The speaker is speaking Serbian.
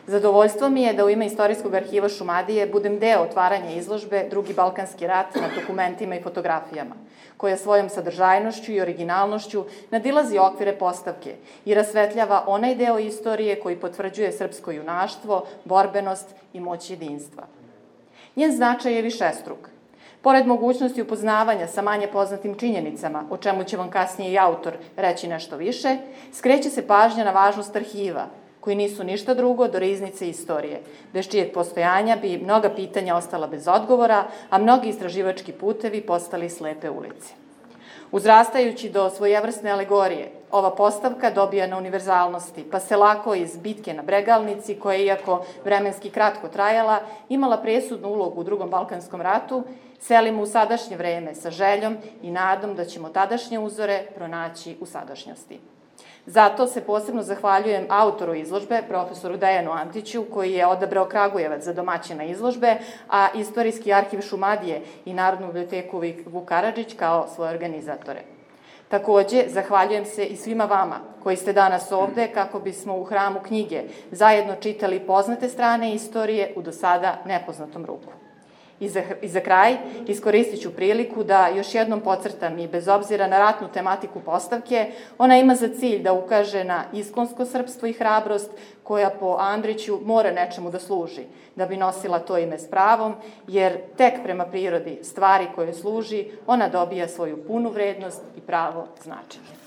Zadovoljstvo mi je da u ime Istorijskog arhiva Šumadije budem deo otvaranja izložbe Drugi balkanski rat na dokumentima i fotografijama, koja svojom sadržajnošću i originalnošću nadilazi okvire postavke i rasvetljava onaj deo istorije koji potvrđuje srpsko junaštvo, borbenost i moć jedinstva. Njen značaj je višestruk. Pored mogućnosti upoznavanja sa manje poznatim činjenicama, o čemu će vam kasnije i autor reći nešto više, skreće se pažnja na važnost arhiva, koji nisu ništa drugo do riznice istorije, bez čijeg postojanja bi mnoga pitanja ostala bez odgovora, a mnogi istraživački putevi postali slepe ulice. Uzrastajući do svojevrsne alegorije, ova postavka dobija na univerzalnosti, pa se lako iz bitke na Bregalnici, koja je, iako vremenski kratko trajala, imala presudnu ulogu u Drugom balkanskom ratu, selimo u sadašnje vreme sa željom i nadom da ćemo tadašnje uzore pronaći u sadašnjosti. Zato se posebno zahvaljujem autoru izložbe, profesoru Dejanu Antiću, koji je odabrao Kragujevac za domaćina izložbe, a Istorijski arhiv Šumadije i Narodnu biblioteku Vuk Karadžić kao svoje organizatore. Takođe, zahvaljujem se i svima vama koji ste danas ovde kako bismo u hramu knjige zajedno čitali poznate strane istorije u do sada nepoznatom ruku. I za kraj iskoristit ću priliku da još jednom podcrtam i bez obzira na ratnu tematiku postavke, ona ima za cilj da ukaže na iskonsko srpstvo i hrabrost koja po Andriću mora nečemu da služi, da bi nosila to ime s pravom, jer tek prema prirodi stvari koje služi, ona dobija svoju punu vrednost i pravo značenje.